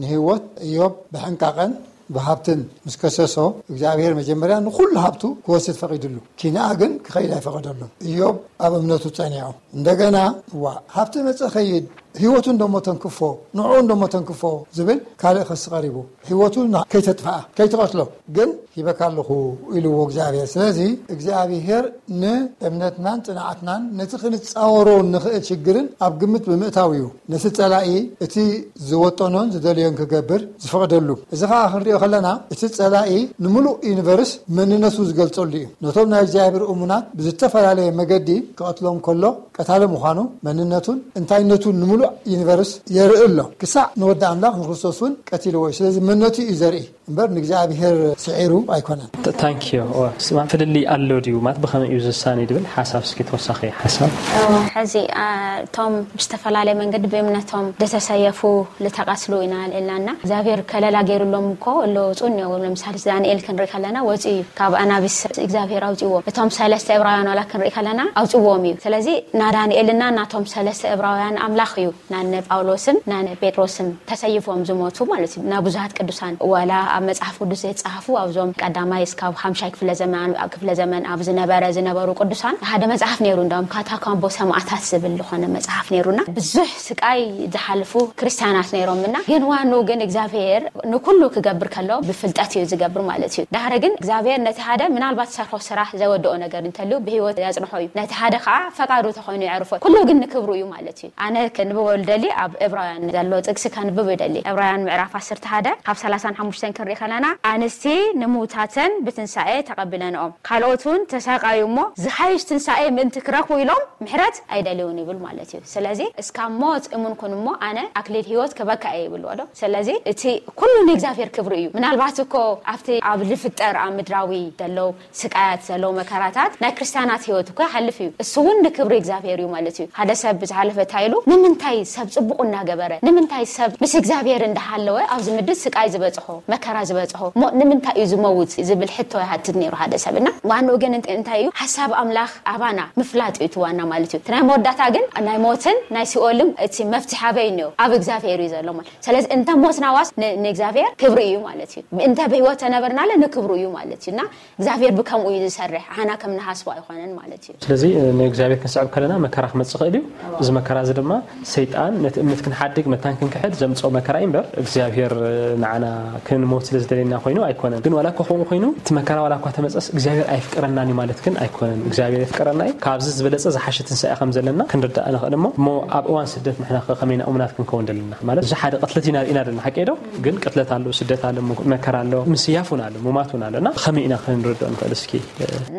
ንህይወት ኢዮብ ብሕንቃቐን ብሃብትን ምስ ከሰሶ እግዚኣብሔር መጀመርያ ንኹሉ ሃብቱ ክወስድ ፈቒድሉ፣ ኪንኣ ግን ክኸይድ ኣይፈቐደሉን። ኢዮብ ኣብ እምነቱ ጸኒዑ እንደገና እዋ ሃብቲ መጸ ኸይድ ህይወቱ እንደሞ ተንክፎ ንዕኡ እንደሞ ተንክፎ ዝብል ካልእ ኸሲ ቐሪቡ ህይወቱ ከይተጥፍኣ ከይትቐትሎ ግን ሂበካ ኣለኹ ኢልዎ እግዚኣብሔር። ስለዚ እግዚኣብሔር ንእምነትናን ጽንዓትናን ነቲ ክንጻወሮ ንኽእል ሽግርን ኣብ ግምት ብምእታው እዩ ነቲ ጸላኢ እቲ ዝወጠኖን ዝደልዮን ክገብር ዝፈቕደሉ። እዚ ኸኣ ክንሪኦ ከለና እቲ ጸላኢ ንምሉእ ዩኒቨርስ መንነቱ ዝገልጸሉ እዩ። ነቶም ናይ እግዚኣብሔር እሙናት ብዝተፈላለየ መገዲ ክቐትሎም ከሎ ቀታሊ ምዃኑ መንነቱን እንታይነቱን ንምሉእ ዩኒቨርስ የርኢ ኣሎ። ክሳዕ ንወዲ ኣምላኽ ንክርስቶስ እውን ቀቲልዎ እዩ። ስለዚ መንነቱ እዩ ዘርኢ እምበር ንእግዚኣብሔር ስዒሩ ኣይኮነን። ታንኪዮ። ስማ ፍልልይ ኣሎ ድዩ ማለት ብኸመይ እዩ ዝሳነ ድብል ሓሳብ እስኪ ተወሳኺ ሓሳብ። ሕዚ እቶም ብዝተፈላለየ መንገዲ ብእምነቶም ዝተሰየፉ ዝተቐትሉ ኢና ንእላና እግዚኣብሔር ከለላ ገይሩሎም እኮ ኣለወፁ እኒኦ። ለምሳሌ ዳንኤል ክንርኢ ከለና ወፂኡ እዩ ካብ ኣናብስ እግዚኣብሔር ኣውፅዎ። እቶም ሰለስተ እብራውያን ዋላ ክንርኢ ከለና ኣውፅዎም እዩ። ስለዚ ናዳንኤልና ናቶም ሰለስተ እብራውያን ኣምላኽ እዩ ናነ ጳውሎስን ናነ ጴጥሮስን ተሰይፎም ዝሞቱ ማለት እዩ። ናብ ብዙሃት ቅዱሳን ዋላ ኣብ መጽሓፍ ቅዱስ ዘይተጻሕፉ ኣብዞም ቀዳማይ እስካብ ሓምሻይ ክፍለ ዘመን ኣብ ክፍለ ዘመን ኣብ ዝነበረ ዝነበሩ ቅዱሳን ሓደ መጽሓፍ ነይሩ። እንዳውም ካታኮምቦ ሰማዕታት ዝብል ዝኾነ መጽሓፍ ነይሩና ብዙሕ ስቃይ ዝሓልፉ ክርስቲያናት ነይሮምና ግን ዋንኡ ግን እግዚኣብሔር ንኩሉ ክገብር ከሎ ብፍልጠት እዩ ዝገብር ማለት እዩ። ዳሕሪ ግን እግዚኣብሔር ነቲ ሓደ ምናልባት ሰርሖ ስራሕ ዘወደኦ ነገር እንተልዩ ብህይወት ያጽንሖ እዩ። ነቲ ሓደ ከዓ ፈቃዱ ተኾይኑ የዕርፎ። ኩሉ ግን ንክብሩ እዩ ማለት እዩ። ኣነ ከንብቦ ልደሊ ኣብ እብራውያን ዘሎ ጥቅሲ ከንብብ ይደሊ። እብራውያን ምዕራፍ ዓሰርተ ሓደ ካብ ሰላሳን ሓሙሽተን ክንርኢ ከለና ኣንስቲ ንምውታተን ብትንሳኤ ተቐቢለንኦም ካልኦት እውን ተሳቃዩ እሞ ዝሓይሽ ትንሳኤ ምእንቲ ክረኽቡ ኢሎም ምሕረት ኣይደልውን ይብል ማለት እዩ። ስለዚ እስካብ ሞት እሙን ኩን እሞ ኣነ ኣክሊል ህይወት ክበካ እየ ይብልዎ ዶ። ስለዚ እቲ ኩሉ ንእግዚኣብሔር ክብሪ እዩ። ምናልባት እኮ ኣብቲ ኣብ ልፍጠር ኣብ ምድራዊ ደለው ስቃያት ዘለው መከራታት ናይ ክርስቲያናት ህይወት እኮ ይሓልፍ እዩ። እሱ እውን ንክብሪ እግዚኣብሔር እዩ ማለት እዩ። ሓደ ሰብ ብዝሓለፈ እንታይ ኢሉ ንምንታይ ሰብ ፅቡቅ እናገበረ ንምንታይ ሰብ ምስ እግዚኣብሔር እንዳሃለወ ኣብዚ ምድር ስቃይ ዝበፅሖ መከራ ዝበፅሖ እሞ ንምንታይ እዩ ዝመውት ዝብል ሕቶ ይሃትት ነይሩ ሓደ ሰብ እና ዋንኡ ግን እንታይ እዩ ሓሳብ ኣምላኽ ኣባና ምፍላጥ እዩ እቲ ዋና ማለት እዩ። እቲ ናይ መወዳእታ ግን ናይ ሞትን ናይ ሲኦልን እቲ መፍትሒ ኣበይ እኒኦ ኣብ እግዚኣብሔር እዩ ዘሎ ማለት ስለዚ እንተ ሞትና ዋስ ንእግዚኣብሔር ክብሪ እዩ ማለት እዩ። እንተ ብህይወት ተነበርናለ ንክብሩ እዩ ማለት እዩ እና እግዚኣብሔር ብከምኡ እዩ ዝሰርሕ ኣና ከም ንሃስቦ ኣይኮነን ማለት እዩ። ስለዚ ንእግዚኣብሔር ክንስዕብ ከለና መከራ ክመፅእ ይኽእል እዩ። እዚ መከራ እዚ ድማ ሰይጣን ነቲ እምነት ክንሓድግ መታን ክንክሕድ ዘምፅኦ መከራ እዩ እምበር እግዚኣብሔር ንዓና ክንሞት ስለ ዝደለየና ኮይኑ ኣይኮነን። ግን ዋላ እኳ ከምኡ ኮይኑ እቲ መከራ ዋላ እኳ ተመፀስ እግዚኣብሔር ኣይፍቀረናን እዩ ማለት ግን ኣይኮነን። እግዚኣብሔር የፍቀረና እዩ። ካብዚ ዝበለፀ ዝሓሸ ትንሳኤ ከም ዘለና ክንርዳእ ንኽእል እሞ እሞ ኣብ እዋን ስደት ንሕና ከ ከመይ ኢና እሙናት ክንከውን ደለና ማለት እዚ ሓደ ቅትለት ኢና ርኢና ደለና ሓቂ ዶ ግን ቅትለት ኣሎ ስደት ኣሎ መከራ ኣሎ ምስያፍ እውን ኣሎ ሙማት እውን ኣሎ እና ከመይ ኢና ክንርድኦ ንኽእል እስኪ?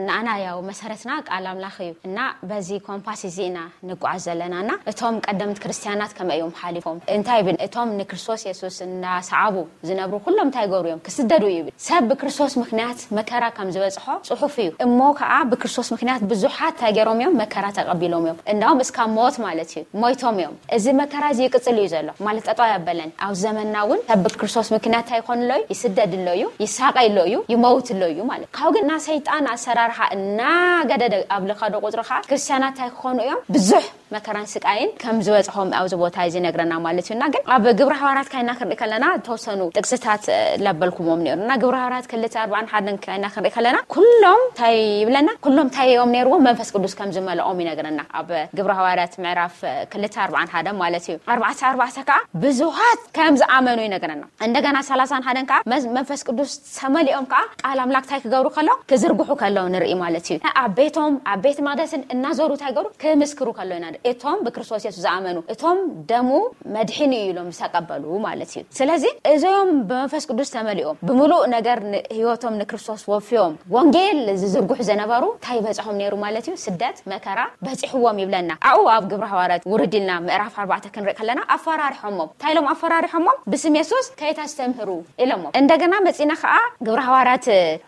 ንኣና ያው መሰረትና ቃል ኣምላኽ እዩ እና በዚ ኮምፓስ እዚ ኢና ንጓዓዝ ዘለናና። እቶም ቀደምት ክርስትያናት ከመይ እዮም ሓሊፎም? እንታይ ይብል? እቶም ንክርስቶስ የሱስ እናሰዓቡ ዝነብሩ ኩሎም እንታይ ይገብሩ እዮም? ክስደዱ እዩ ይብል። ሰብ ብክርስቶስ ምክንያት መከራ ከም ዝበጽሖ ጽሑፍ እዩ። እሞ ከዓ ብክርስቶስ ምክንያት ብዙሓት እንታይ ገይሮም እዮም? መከራ ተቐቢሎም እዮም። እንዳውም እስካብ ሞት ማለት እዩ። ሞይቶም እዮም። እዚ መከራ እዚ ይቅጽል እዩ ዘሎ። ማለት ጠጠው ያበለን። ኣብ ዘመንና እውን ሰብ ብክርስቶስ ምክንያት እንታይ ይኾን ኣሎ እዩ? ይስደድ ኣሎ እዩ፣ ይሳቀይ ኣሎ እዩ፣ ይመውት ኣሎ እዩ ማለት። ካብኡ ግን እና ሰይጣን ኣሰራርሓ እናገደደ ኣብ ልኸዶ ቁጽሪ ከዓ ክርስትያናት እንታይ ክኾኑ እዮም? ብዙሕ መከራን ስቃይን ከም ዝበጽሖም ኣብዚ ቦታ እዚ ይነግረና ማለት እዩ። እና ግን ኣብ ግብረ ሃዋርያት ካይና ክንርኢ ከለና ተወሰኑ ጥቅስታት እ፣ ለበልኩሞም ነይሩ። እና ግብረ ሃዋርያት ክልተ ኣርባዕን ሓደን ካይና ክንርኢ ከለና ኩሎም እንታይ ይብለና? ኩሎም እንታይ እዮም ነይርዎም? መንፈስ ቅዱስ ከም ዝመልኦም ይነግረና። ኣብ ግብረ ሃዋርያት ምዕራፍ እ፣ ክልተ ኣርባዕን ሓደ ማለት እዩ። ኣርባዕተ ኣርባዕተ ከዓ ብዙሃት ከም ዝኣመኑ ይነግረና። እንደገና ሰላሳን ሓደን ከዓ መዝ- መንፈስ ቅዱስ ተመሊኦም ከዓ ቃል ኣምላክ እንታይ ክገብሩ ከለዉ? ክዝርግሑ ከለዉ ንርኢ ማለት እዩ። ኣብ ቤቶም ኣብ ቤት መቅደስን እናዞሩ እንታይ ገሩ? ክምስክሩ ከለዉ ኢና ንርኢ። እቶም ብክርስቶስ የሱስ ዝኣመኑ እቶም ደሙ መድሕን እዩ ኢሎም ዝተቀበሉ ማለት እዩ። ስለዚ እዚኦም ብመንፈስ ቅዱስ ተመሊኦም ብምሉእ ነገር ን- ህይወቶም ንክርስቶስ ወፍዮም ወንጌል ዝዝርግሑ ዝነበሩ እንታይ ይበፅሖም ነይሩ ማለት እዩ? ስደት መከራ በፂሕዎም ይብለና። ኣብኡ ኣብ ግብረ ሃዋርያት ውርድ ኢልና ምዕራፍ ኣርባዕተ ክንርኢ ከለና ኣፈራሪሖሞም። እንታይ ኢሎም ኣፈራሪሖሞም? ብስም የሱስ ከይተስተምህሩ ኢሎሞም። እንደገና መፂና ከዓ ግብረ ሃዋርያት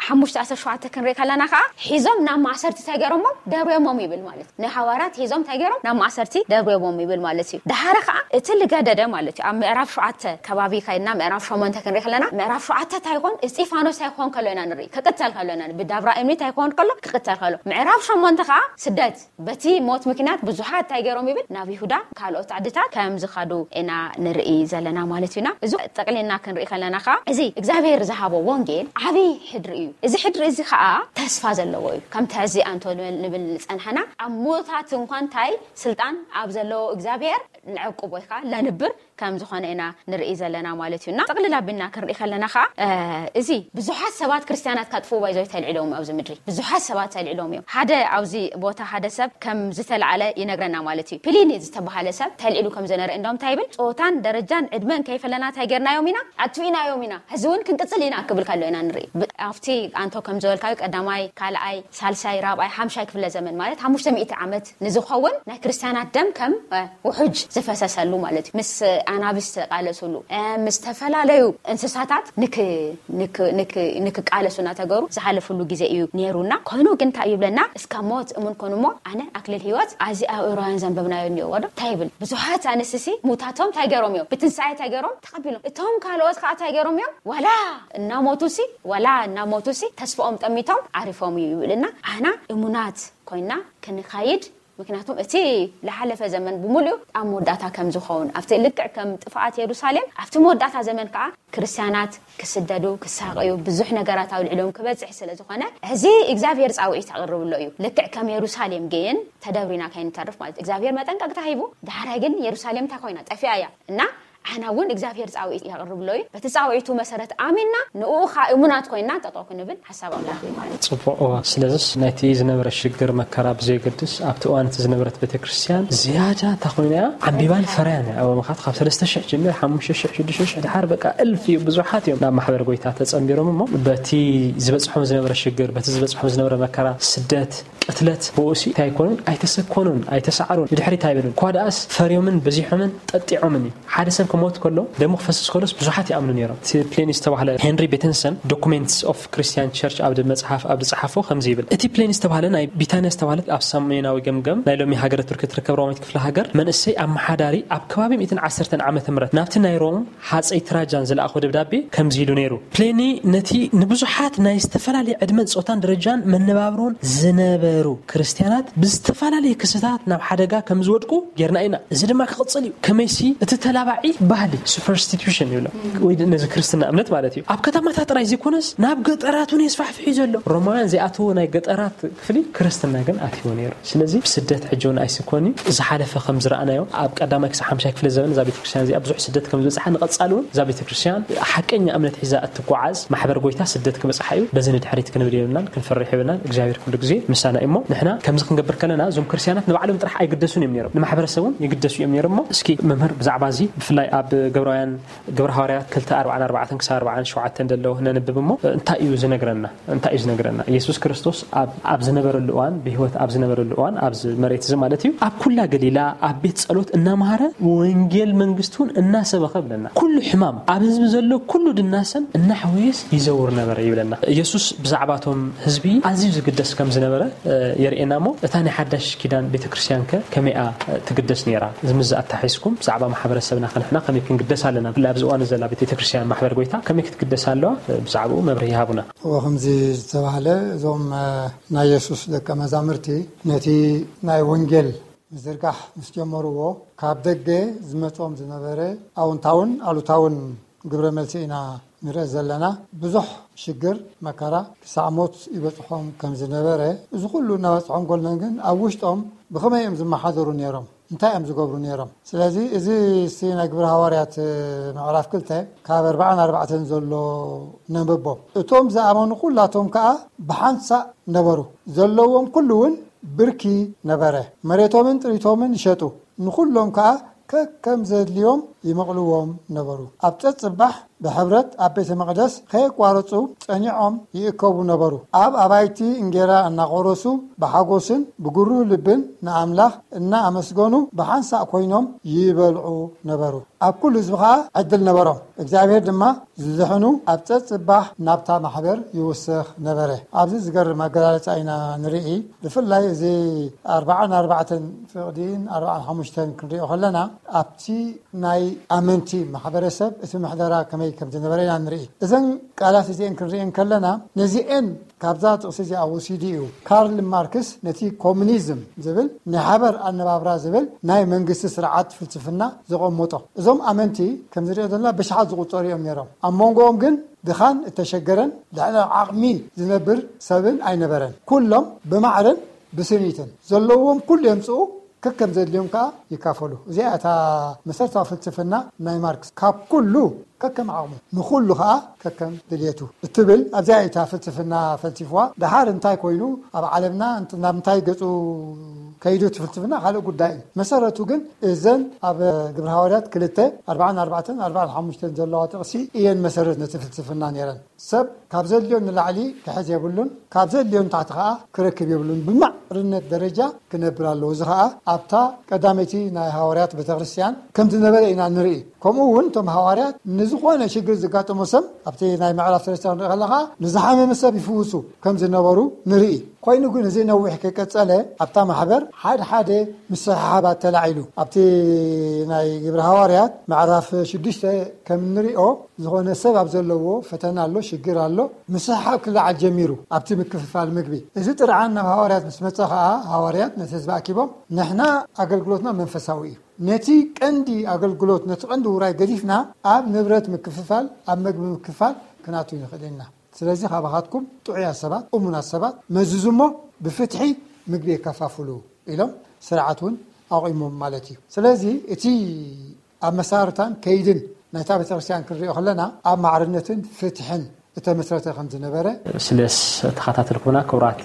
ሓሙሽተ ኣስር ሸውዓተ ክንርኢ ከለና ከዓ ሒዞም ናብ ማእሰርቲ እንታይ ገይሮሞም? ደርብዮሞም ይብል ማለት እዩ። ንሃዋርያት ሒዞም እንታይ ገይሮም? ናብ ማእሰርቲ ደርብዮሞም ይብል ማለት እዩ። ደሓረ ከዓ እቲ ልገደደ ማለት እዩ። ኣብ ምዕራፍ ሸውዓተ ከባቢ ከይድና ምዕራፍ ሸሞንተ ክንርኢ ከለና ምዕራፍ ሸውዓተ እንታይ ይኾን? እስጢፋኖስ እንታይ ይኾን ከሎ ኢና ንርኢ። ክቅተል ከሎ ኢና ንርኢ። ብዳብራ እምኒ እንታይ ይኾን ከሎ? ክቅተል ከሎ። ምዕራፍ ሸሞንተ ከዓ ስደት በቲ ሞት ምክንያት ብዙሓት እንታይ ገይሮም ይብል? ናብ ይሁዳ ካልኦት ዓድታት ከም ዝኸዱ ኢና ንርኢ ዘለና ማለት እዩና። እዚ ጠቅሊልና ክንርኢ ከለና ከዓ እዚ እግዚኣብሔር ዝሃቦ ወንጌል ዓብይ ሕድሪ እዩ። እዚ ሕድሪ እዚ ከዓ ተስፋ ዘለዎ እዩ። ከምቲ ሕዚ ኣንቶ ንብል ንብል ዝጸንሐና ኣብ ሞታት እንኳን እንታይ ስልጣን ኣብ ዘለዎ እግዚኣብሔር ንዕቁብ ወይ ከዓ ለንብር ከም ዝኾነ ኢና ንርኢ ዘለና ማለት እዩ። እና ጥቕልል ኣቢልና ክንርኢ ከለና ከዓ እ፣ እዚ ብዙሓት ሰባት ክርስትያናት ካጥፍኡ ባይዞ ተልዒሎም ኣብዚ ምድሪ ብዙሓት ሰባት ተልዒሎም እዮም። ሓደ ኣብዚ ቦታ ሓደ ሰብ ከም ዝተለዓለ ይነግረና ማለት እዩ። ፕሊኒ ዝተባሃለ ሰብ ተልዒሉ ከም ዝነበረ እንደውም እንታይ ይብል? ጾታን ደረጃን ዕድመን ከይፈለና እንታይ ጌርናዮም ኢና? ኣጥፊእናዮም ኢና። ሕዚ እውን ክንቅጽል ኢና ክብል ከሎ ኢና ንርኢ። ብ- ኣብቲ ኣንቶ ከም ዝበልካዩ ቀዳማይ፣ ካልኣይ፣ ሳልሳይ፣ ራብኣይ፣ ሓምሻይ ክፍለ ዘመን ማለት ሓሙሽተ ሚእቲ ዓመት ንዝኸውን ናይ ክርስትያናት ደም ከም እ፣ ውሑጅ ዝፈሰሰሉ ማለት እዩ። ምስ ኣናብስ ተቃለሱሉ እ፣ ምስ ዝተፈላለዩ እንስሳታት ንክ- ንክ- ንክ- ንክቃለሱ እናተገሩ ዝሓለፍሉ ግዜ እዩ ነይሩና። ኮይኑ ግን እንታይ እዩ ይብለና? እስካ ሞት እሙን ኮኑ እሞ ኣነ ኣክሊል ህይወት ኣዚ ኣብ ዕብራውያን ዘንበብናዮ እኒኦ ወዶ እንታይ ይብል? ብዙሓት ኣንስትሲ ሙታቶም እንታይ ገይሮም እዮም? ብትንሳኤ እንታይ ገይሮም? ተቐቢሎም። እቶም ካልኦት ከዓ እንታይ ገይሮም እዮም? ዋላ እናሞቱ ሲ ዋላ እናሞቱ ሲ ተስፋኦም ጠሚቶም ዓሪፎም እዩ ይብልና። ኣና እሙናት ኮይና ክንኻይድ ምክንያቱም እቲ ዝሓለፈ ዘመን ብምሉኡ ኣብ መወዳእታ ከም ዝኸውን ኣብቲ ልክዕ ከም ጥፍኣት የሩሳሌም ኣብቲ መወዳእታ ዘመን ከዓ ክርስትያናት ክስደዱ ክሳቀዩ ብዙሕ ነገራት ኣብ ልዕሊኦም ክበፅሕ ስለ ዝኾነ ሕዚ እግዚኣብሔር ፃውዒት ኣቕርብሎ እዩ። ልክዕ ከም የሩሳሌም ግን ተደብሪና ከይንተርፍ ማለት እግዚኣብሔር መጠንቀቅታ ሂቡ። ዳሕራይ ግን የሩሳሌም እንታይ ኮይና ጠፊኣ እያ እና ኣና እውን እግዚኣብሔር ፃውዒት የቕርብሎ እዩ። በቲ ፃውዒቱ መሰረት ኣሚንና ንኡ ካ እሙናት ኮይና ጠጠው ክንብል ሓሳብ ኣምላኽ እዩ ማለት እዩ። ጽቡቕ እዋ ስለዚስ ናይቲ ዝነበረ ሽግር መከራ ብዘየገድስ ኣብቲ እዋን እቲ ዝነበረት ቤተክርስትያን ዝያዳ እታ ኮይና እያ ዓምቢባን ፈርያን እያ። ኣብ ምኻት ካብ ሰለስተ ሽሕ ጀሚር ሓሙሽተ ሽሕ ሽዱሽተ ሽሕ ድሓር በቃ እልፍ እዩ ብዙሓት እዮም ናብ ማሕበር ጎይታ ተጸንቢሮም እሞ በቲ ዝበጽሖም ዝነበረ ሽግር በቲ ዝበጽሖም ዝነበረ መከራ ስደት ቅትለት ብኡሲ እንታይ ኣይኮኑን ኣይተሰኮኑን ኣይተሰዓሩን ብድሕሪት ኣይበሉን እኳ ደኣስ ፈርዮምን በዚሖምን ጠጢዖምን እዩ። ሓደ ሰብ ክሞት ከሎ ደሙ ክፈስስ ከሎስ ብዙሓት ይኣምኑ ነይሮም። እቲ ፕሌኒ ዝተባህለ ሄንሪ ቤተንሰን ዶኩሜንትስ ኦፍ ክርስቲያን ቸርች ኣብ መጽሓፍ ኣብ ዝጸሓፎ ከምዚ ይብል። እቲ ፕሌኒ ዝተባህለ ናይ ቢታንያ ዝተባህለት ኣብ ሰሜናዊ ገምገም ናይ ሎሚ ሃገረ ቱርኪ ትርከብ ሮማዊት ክፍለ ሃገር መንእሰይ ኣመሓዳሪ ኣብ ከባቢ ሚእትን ዓሰርተን ዓመተ ምህረት ናብቲ ናይ ሮም ሓጸይ ትራጃን ዝለኣኾ ደብዳቤ ከምዚ ኢሉ ነይሩ። ፕሌኒ ነቲ ንብዙሓት ናይ ዝተፈላለየ ዕድመን ጾታን ደረጃን መነባብሮን ዝነበሩ ክርስትያናት ብዝተፈላለየ ክስታት ናብ ሓደጋ ከም ዝወድቁ ጌርና ኢና። እዚ ድማ ክቕጽል እዩ። ከመይሲ እቲ ተላባዒ ባህሊ ሱፐርስቲቱሽን ይብሎ ወይ ነዚ ክርስትና እምነት ማለት እዩ ኣብ ከተማታት ጥራይ ዘይኮነስ ናብ ገጠራት እውን የስፋሕፍሕ እዩ ዘሎ። ሮማውያን ዘይኣተዎ ናይ ገጠራት ክፍሊ ክርስትና ግን ኣትይዎ ነይሩ። ስለዚ ብስደት ሕጂ እውን ኣይስኮን እዩ። ዝሓለፈ ከም ዝረኣናዮ ኣብ ቀዳማይ ክሳብ ሓምሻይ ክፍለ ዘበን እዛ ቤተክርስትያን እዚኣ ብዙሕ ስደት ከም ዝበፅሓ ንቐፃሊ እውን እዛ ቤተክርስትያን ሓቀኛ እምነት ሒዛ እትጓዓዝ ማሕበር ጎይታ ስደት ክበፅሓ እዩ። በዚ ንድሕሪት ክንብል የብልናን ክንፈርሕ የብልናን። እግዚኣብሔር ኩሉ ግዜ ምሳና እሞ ንሕና ከምዚ ክንገብር ከለና እዞም ክርስቲያናት ንባዕሎም ጥራሕ ኣይግደሱን እዮም ነይሮም፣ ንማሕበረሰብ እውን ይግደሱ እዮም ነይሮም። እሞ እስኪ መምህር ብዛዕባ እዚ ብፍላይ ኣብ ግብራውያን ግብረ ሃዋርያት ክልተ ኣርባዓን ኣርባዕተን ክሳብ ኣርባዓን ሸውዓተን ዘሎ ነንብብ እሞ እንታይ እዩ ዝነግረና? እንታይ እዩ ዝነግረና? ኢየሱስ ክርስቶስ ኣብ ኣብ ዝነበረሉ እዋን፣ ብህይወት ኣብ ዝነበረሉ እዋን፣ ኣብዚ መሬት እዚ ማለት እዩ፣ ኣብ ኩላ ገሊላ ኣብ ቤት ጸሎት እናምሃረ ወንጌል መንግስቱን እናሰበኸ ብለና። ኩሉ ሕማም ኣብ ህዝቢ ዘሎ ኩሉ ድናሰን እናሕወየስ ይዘውር ነበረ ይብለና። ኢየሱስ ብዛዕባቶም ህዝቢ ኣዝዩ ዝግደስ ከም ዝነበረ የርእየና። እሞ እታ ናይ ሓዳሽ ኪዳን ቤተክርስትያን ከ ከመይኣ ትግደስ ነይራ? እዚ ምስ ኣታሒዝኩም ብዛዕባ ማሕበረሰብና ከንሕና ከመይ ክንግደስ ኣለና? ብፍላይ ኣብዚ እዋን ዘላ ቤተክርስትያን ማሕበር ጎይታ ከመይ ክትግደስ ኣለዋ? ብዛዕባኡ መብርሂ ሃቡና። እዎ፣ ከምዚ ዝተባህለ እዞም ናይ የሱስ ደቀ መዛምርቲ ነቲ ናይ ወንጌል ምዝርጋሕ ምስ ጀመርዎ፣ ካብ ደገ ዝመጾም ዝነበረ ኣውንታውን ኣሉታውን ግብረ መልሲ ኢና ንርኢ ዘለና። ብዙሕ ሽግር መከራ ክሳዕ ሞት ይበጽሖም ከም ዝነበረ፣ እዚ ኩሉ እናበጽሖም ጎልነን ግን ኣብ ውሽጦም ብኸመይ እዮም ዝመሓደሩ ነይሮም? እንታይ እዮም ዝገብሩ ነይሮም? ስለዚ እዚ እስቲ ናይ ግብረ ሃዋርያት ምዕራፍ ክልተ ካብ ኣርባዓን ኣርባዕተን ዘሎ ነንብቦ። እቶም ዝኣመኑ ኩላቶም ከኣ ብሓንሳእ ነበሩ፣ ዘለዎም ኩሉ እውን ብርኪ ነበረ። መሬቶምን ጥሪቶምን ይሸጡ፣ ንኹሎም ከኣ ከከም ዘድልዮም ይመቕልዎም ነበሩ። ኣብ ጸጽባሕ ብሕብረት ኣብ ቤተ መቕደስ ከየቋረጹ ጸኒዖም ይእከቡ ነበሩ። ኣብ ኣባይቲ እንጌራ እናቖረሱ ብሓጎስን ብጉሩ ልብን ንኣምላኽ እናኣመስገኑ ብሓንሳእ ኮይኖም ይበልዑ ነበሩ። ኣብ ኩሉ ህዝቢ ኸኣ ዕድል ነበሮም። እግዚኣብሔር ድማ ዝድሕኑ ኣብ ጸጽባሕ ናብታ ማሕበር ይውስኽ ነበረ። ኣብዚ ዝገርም ኣገላልጻ ኢና ንርኢ። ብፍላይ እዚ ኣርባዓን ኣርባዕተን ፍቕዲን ኣርባዓን ሓሙሽተን ክንሪኦ ከለና፣ ኣብቲ ናይ ኣመንቲ ማሕበረሰብ እቲ ምሕደራ ከመይ ከም ዝነበረ ኢና ንርኢ። እዘን ቃላት እዚአን ክንሪአን ከለና፣ ነዚአን ካብዛ ጥቕሲ እዚኣ ወሲዱ እዩ። ካርል ማርክስ ነቲ ኮሙኒዝም ዝብል ናይ ሓበር ኣነባብራ ዝብል ናይ መንግስቲ ስርዓት ፍልስፍና ዘቐመጦ። እዞም ኣመንቲ ከም ዝሪኦ ዘለና ብሽሓት ዝቑጸሩ እዮም ነይሮም። ኣብ መንጎኦም ግን ድኻን እተሸገረን ልዕሊ ዓቕሚ ዝነብር ሰብን ኣይነበረን። ኩሎም ብማዕርን ብስኒትን ዘለዎም ኩሉ የምጽኡ፣ ከከም ዘድልዮም ከኣ ይካፈሉ። እዚኣ እታ መሰረታዊ ፍልስፍና ናይ ማርክስ። ካብ ኩሉ ከከም ዓቕሙ፣ ንኹሉ ከኣ ከከም ድልየቱ እትብል ኣብዚኣ እታ ፍልስፍና ፈልሲፍዋ። ደሓር እንታይ ኮይኑ ኣብ ዓለምና እንት-፣ ናብ እንታይ ገጹ ከይዱ እቲ ፍልስፍና ካልእ ጉዳይ እዩ። መሰረቱ ግን እዘን ኣብ ግብረ ሃዋርያት ክልተ ኣርባዓን ኣርባዕተን ኣርባዓን ሓሙሽተን ዘለዋ ጥቕሲ እየን መሰረት ነቲ ፍልስፍና ነይረን። ሰብ ካብ ዘድልዮ ንላዕሊ ክሕዝ የብሉን፣ ካብ ዘድልዮ ንታሕቲ ከኣ ክረክብ የብሉን። ብማዕርነት ደረጃ ክነብር ኣለዎ። እዚ ከኣ ኣብታ ቀዳመይቲ ናይ ሃዋርያት ቤተክርስትያን ከም ዝነበረ ኢና ንርኢ። ከምኡ እውን እቶም ሃዋርያት ንዝኾነ ሽግር ዝጋጠሞ ሰብ ኣብቲ ናይ ምዕራፍ ሰለስተ ክንርኢ ከለኻ ንዝሓመመ ሰብ ይፍውሱ ከም ዝነበሩ ንርኢ። ኮይኑ ግን እዚ ነዊሕ ከይቀጸለ ኣብታ ማሕበር ሓደ ሓደ ምስሕሓባት ተላዒሉ። ኣብቲ ናይ ግብረ ሃዋርያት ምዕራፍ ሽዱሽተ ከም እንሪኦ ዝኾነ ሰብ ኣብ ዘለዎ ፈተና ኣሎ፣ ሽግር ኣሎ፣ ምስሕሓብ ክለዓል ጀሚሩ ኣብቲ ምክፍፋል ምግቢ። እዚ ጥርዓን ናብ ሃዋርያት ምስ መጸ ኸኣ ሃዋርያት ነቲ ህዝቢ ኣኪቦም ንሕና ኣገልግሎትና መንፈሳዊ እዩ። ነቲ ቀንዲ ኣገልግሎት፣ ነቲ ቀንዲ ውራይ ገዲፍና ኣብ ንብረት ምክፍፋል፣ ኣብ መግቢ ምክፍፋል ክናቱ ንኽእል ኢና። ስለዚ ካባኻትኩም ጥዑያት ሰባት፣ እሙናት ሰባት መዝዙ እሞ ብፍትሒ ምግቢ የከፋፍሉ ኢሎም ስርዓት እውን ኣቑሞም ማለት እዩ። ስለዚ እቲ ኣብ መሳርታን ከይድን ናይታ ቤተክርስትያን ክንሪኦ ከለና ኣብ ማዕርነትን ፍትሕን እተመስረተ ከም ዝነበረ ስለስ ተኸታተልኩና ክቡራት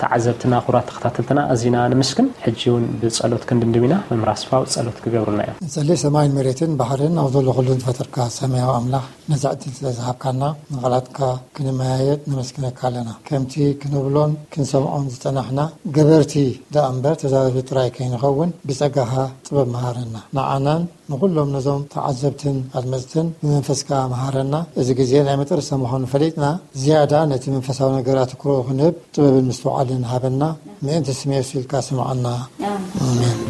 ተዓዘብትና፣ ክቡራት ተኸታተልትና ኣዚና ንምስክን። ሕጂ እውን ብጸሎት ክንድምድም ኢና። መምህር ኣስፋው ጸሎት ክገብሩልና እዮም። ንጸሊ። ሰማይን መሬትን ባሕርን ኣብ ዘሎ ኩሉ ዝፈጠርካ ሰማያዊ ኣምላኽ ነዚ ዕድል ስለ ዝሃብካና ንቓላትካ ክንመያየጥ ነመስግነካ ኣለና። ከምቲ ክንብሎን ክንሰምዖን ዝጸናሕና ገበርቲ ደኣ እምበር ተዛረብቲ ጥራይ ከይንኸውን ብጸጋኻ ጥበብ መሃረና። ንዓናን ንኹሎም ነዞም ተዓዘብትን ኣድመጽትን ብመንፈስካ መሃረና። እዚ ግዜ ናይ መጠረስታ ምዃኑ ፈሊጥና ዝያዳ ነቲ መንፈሳዊ ነገር ኣትኩሮ ክንህብ ጥበብን ምስትውዓልን ሃበና። ምእንቲ ስም የሱስ ኢልካ ስምዓና። ኣሜን።